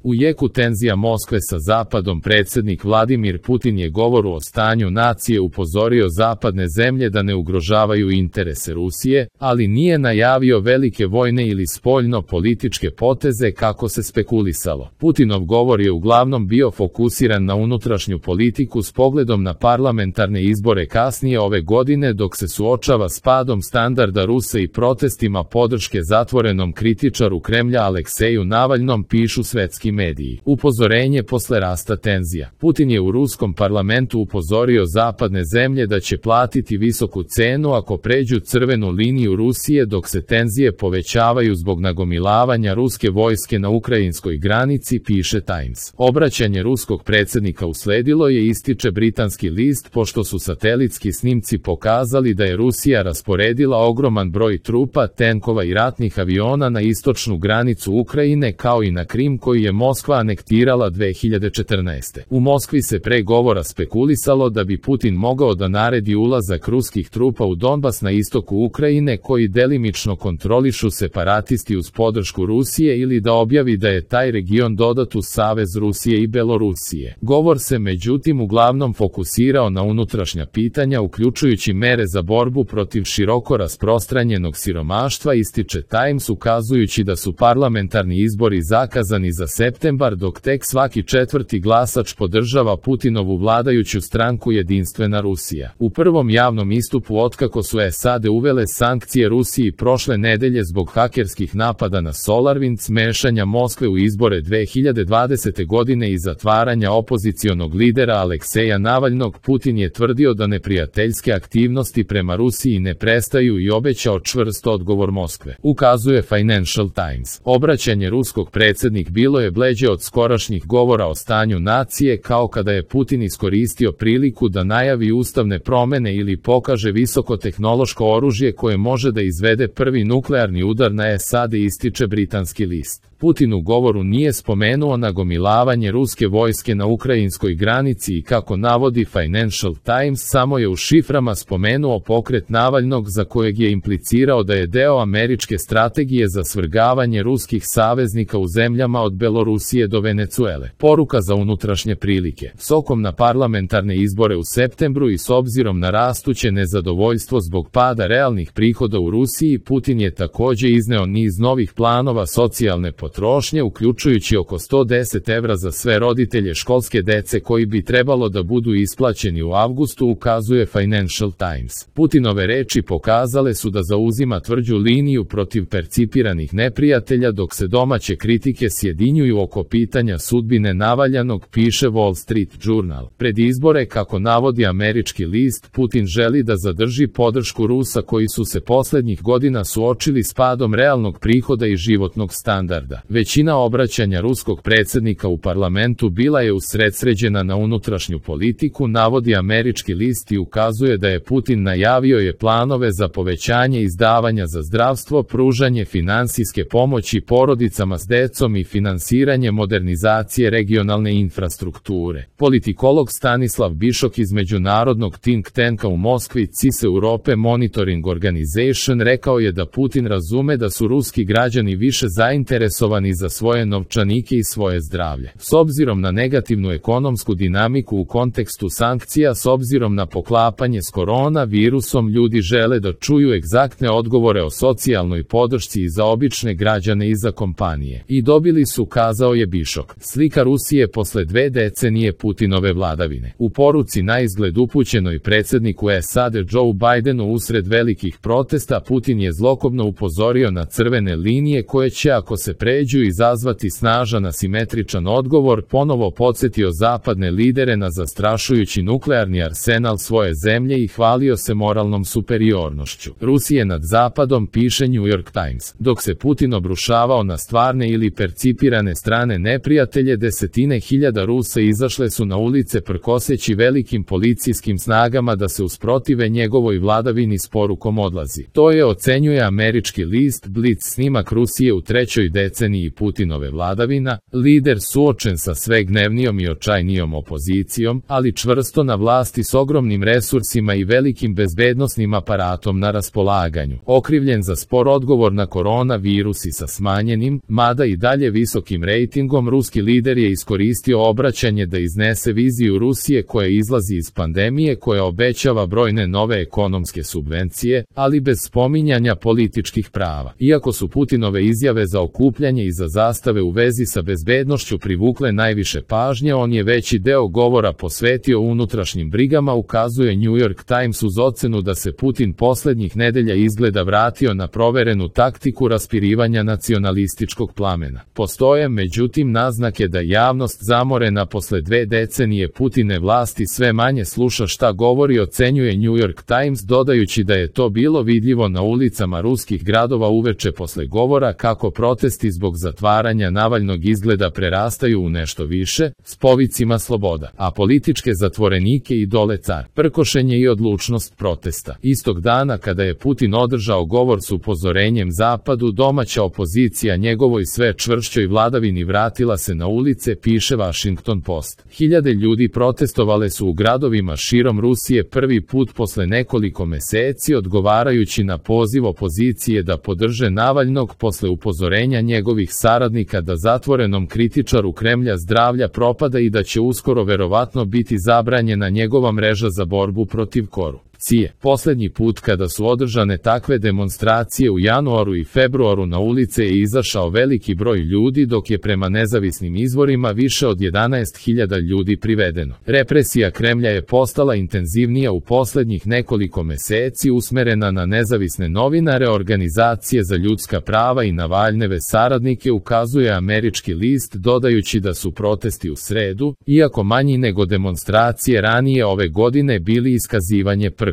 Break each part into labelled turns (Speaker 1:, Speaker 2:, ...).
Speaker 1: U jeku tenzija Moskve sa Zapadom predsjednik Vladimir Putin je govoru o stanju nacije upozorio zapadne zemlje da ne ugrožavaju interese Rusije, ali nije najavio velike vojne ili spoljno-političke poteze kako se spekulisalo. Putinov govor je uglavnom bio fokusiran na unutrašnju politiku s pogledom na parlamentarne izbore kasnije ove godine dok se suočava s padom standarda Rusa i protestima podrške zatvorenom kritičaru Kremlja Alekseju Navalnom, pišu svetski mediji. Upozorenje posle rasta tenzija. Putin je u ruskom parlamentu upozorio zapadne zemlje da će platiti visoku cenu ako pređu crvenu liniju Rusije dok se tenzije povećavaju zbog nagomilavanja ruske vojske na ukrajinskoj granici, piše Times. Obraćanje ruskog predsjednika usledilo je, ističe britanski list, pošto su satelitski snimci pokazali da je Rusija rasporedila ogroman broj trupa, tenkova i ratnih aviona na istočnu granicu Ukrajine kao i na Krim koji je Moskva anektirala 2014. U Moskvi se pre govora spekulisalo da bi Putin mogao da naredi ulazak ruskih trupa u Donbas na istoku Ukrajine koji delimično kontrolišu separatisti uz podršku Rusije ili da objavi da je taj region dodat u savez Rusije i Belorusije. Govor se međutim uglavnom fokusirao na unutrašnja pitanja uključujući mere za borbu protiv široko rasprostranjenog siromaštva, ističe Times, ukazujući da su parlamentarni izbori zakazani za septembar dok tek svaki četvrti glasač podržava Putinovu vladajuću stranku Jedinstvena Rusija. U prvom javnom istupu otkako su SAD uvele sankcije Rusiji prošle nedelje zbog hakerskih napada na SolarWinds, mešanja Moskve u izbore 2020. godine i zatvaranja opozicionog lidera Alekseja Navalnog, Putin je tvrdio da neprijateljske aktivnosti prema Rusiji ne prestaju i obećao čvrst odgovor Moskve, ukazuje Financial Times. Obraćanje ruskog predsjednik bilo je bleđe od skorašnjih govora o stanju nacije, kao kada je Putin iskoristio priliku da najavi ustavne promene ili pokaže visokotehnološko oružje koje može da izvede prvi nuklearni udar na SAD, ističe britanski list. Putin u govoru nije spomenuo nagomilavanje ruske vojske na ukrajinskoj granici i, kako navodi Financial Times, samo je u šiframa spomenuo pokret Navalnog za kojeg je implicirao da je deo američke strategije za svrgavanje ruskih saveznika u zemljama od Belorusije do Venecuele. Poruka za unutrašnje prilike. S okom na parlamentarne izbore u septembru i s obzirom na rastuće nezadovoljstvo zbog pada realnih prihoda u Rusiji, Putin je također izneo niz novih planova socijalne potrošnje, uključujući oko 110 evra za sve roditelje školske dece koji bi trebalo da budu isplaćeni u avgustu, ukazuje Financial Times. Putinove reči pokazale su da zauzima tvrđu liniju protiv percipiranih neprijatelja dok se domaće kritike sjedinjuju oko pitanja sudbine Navaljanog, piše Wall Street Journal. Pred izbore, kako navodi američki list, Putin želi da zadrži podršku Rusa koji su se posljednjih godina suočili s padom realnog prihoda i životnog standarda. Većina obraćanja ruskog predsjednika u parlamentu bila je usredsređena na unutrašnju politiku, navodi američki list, i ukazuje da je Putin najavio je planove za povećanje izdavanja za zdravstvo, pružanje finansijske pomoći porodicama s decom i finansiranje modernizacije regionalne infrastrukture. Politikolog Stanislav Bišok iz međunarodnog think tanka u Moskvi CIS Europe Monitoring Organization rekao je da Putin razume da su ruski građani više zainteresovani za svoje novčanike i svoje zdravlje. S obzirom na negativnu ekonomsku dinamiku u kontekstu sankcija, s obzirom na poklapanje s koronavirusom, ljudi žele da čuju egzaktne odgovore o socijalnoj podršci i za obične građane i za kompanije. I dobili su, kazao je Bišok. Slika Rusije posle 2 decenije Putinove vladavine. U poruci na izgled upućenoj predsjedniku SAD Joe Bidenu usred velikih protesta, Putin je zlokobno upozorio na crvene linije koje će, ako se pređu, izazvati snažan asimetričan odgovor, ponovo podsjetio zapadne lidere na zastrašujući nuklearni arsenal svoje zemlje i hvalio se moralnom superiornošću Rusije nad Zapadom, piše New York Times. Dok se Putin obrušavao na stvarne ili percipirane strane neprijatelje, desetine hiljada Rusa izašle su na ulice prkoseći velikim policijskim snagama da se usprotive njegovoj vladavini s porukom odlazi. To je, ocenjuje američki list Blitz, snimak Rusije u trećoj deceniji deceniji Putinove vladavina, lider suočen sa sve gnevnijom i očajnijom opozicijom, ali čvrsto na vlasti s ogromnim resursima i velikim bezbednosnim aparatom na raspolaganju. Okrivljen za spor odgovor na koronavirus i sa smanjenim, mada i dalje visokim rejtingom, ruski lider je iskoristio obraćanje da iznese viziju Rusije koja izlazi iz pandemije, koja obećava brojne nove ekonomske subvencije, ali bez spominjanja političkih prava. Iako su Putinove izjave za okupljanje i za zastave u vezi sa bezbednošću privukle najviše pažnje, on je veći deo govora posvetio unutrašnjim brigama, ukazuje New York Times uz ocenu da se Putin poslednjih nedelja izgleda vratio na proverenu taktiku raspirivanja nacionalističkog plamena. Postoje međutim naznake da javnost zamorena posle 2 decenije Putine vlasti sve manje sluša šta govori, ocenjuje New York Times, dodajući da je to bilo vidljivo na ulicama ruskih gradova uveče posle govora, kako protesti zbog zatvaranja Navalnog izgleda prerastaju u nešto više, s povicima sloboda, a političke zatvorenike i dole car. Prkošenje i odlučnost protesta. Istog dana kada je Putin održao govor s upozorenjem Zapadu, domaća opozicija njegovoj sve čvršćoj vladavini vratila se na ulice, piše Washington Post. Hiljade ljudi protestovale su u gradovima širom Rusije prvi put posle nekoliko meseci, odgovarajući na poziv opozicije da podrže Navalnog posle upozorenja njegovih saradnika da zatvorenom kritičaru Kremlja zdravlja propada i da će uskoro verovatno biti zabranjena njegova mreža za borbu protiv korupcije. Poslednji put kada su održane takve demonstracije u januaru i februaru na ulice je izašao veliki broj ljudi, dok je prema nezavisnim izvorima više od 11.000 ljudi privedeno. Represija Kremlja je postala intenzivnija u poslednjih nekoliko meseci, usmerena na nezavisne novinare, organizacije za ljudska prava i Navalnjeve saradnike, ukazuje američki list, dodajući da su protesti u sredu, iako manji nego demonstracije ranije ove godine, bili iskazivanje prkosa.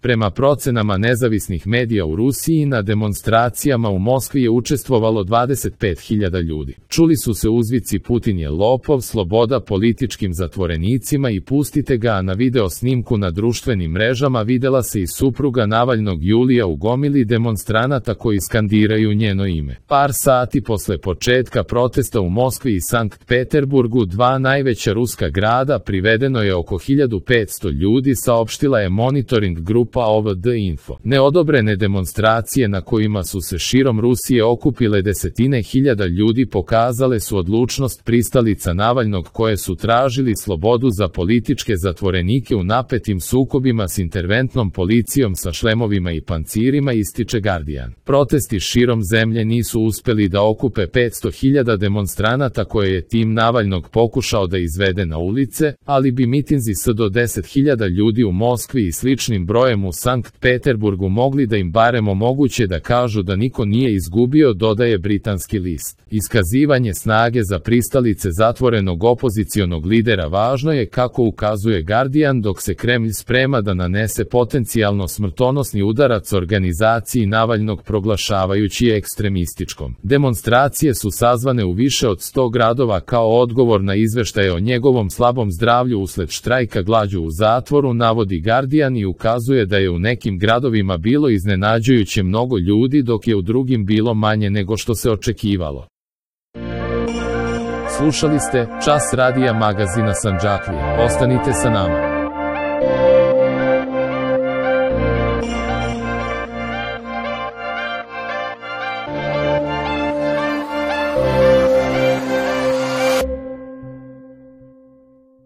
Speaker 1: Prema procenama nezavisnih medija u Rusiji, na demonstracijama u Moskvi je učestvovalo 25.000 ljudi. Čuli su se uzvici Putin je lopov, sloboda političkim zatvorenicima i pustite ga, a na video snimku na društvenim mrežama videla se i supruga Navalnog Julija u gomili demonstranata koji skandiraju njeno ime. Par sati posle početka protesta u Moskvi i Sankt Peterburgu, 2 najveća ruska grada, privedeno je oko 1500 ljudi, saopštila je monitoring grupa OVD Info. Neodobrene demonstracije na kojima su se širom Rusije okupile desetine hiljada ljudi pokazale su odlučnost pristalica Navalnog, koje su tražili slobodu za političke zatvorenike u napetim sukobima s interventnom policijom sa šlemovima i pancirima, ističe Guardian. Protesti širom zemlje nisu uspeli da okupe 500.000 demonstranata koje je tim Navalnog pokušao da izvede na ulice, ali bi mitinzi s do 10.000 ljudi u Moskvi i sličnim brojem u Sankt Peterburgu mogli da im barem omoguće da kažu da niko nije izgubio, dodaje britanski list. Iskazivanje snage za pristalice zatvorenog opozicionog lidera važno je, kako ukazuje Guardian, dok se Kremlj sprema da nanese potencijalno smrtonosni udarac organizaciji Navalnog, proglašavajući je ekstremističkom. Demonstracije su sazvane u više od 100 gradova kao odgovor na izveštaje o njegovom slabom zdravlju usled štrajka glađu u zatvoru, navodi Guardian, i ukazuje da je u nekim gradovima bilo iznenađujuće mnogo ljudi, dok je u drugim bilo manje nego što se očekivalo. Slušali ste Čas radija magazina Sandžaklije. Ostanite sa nama.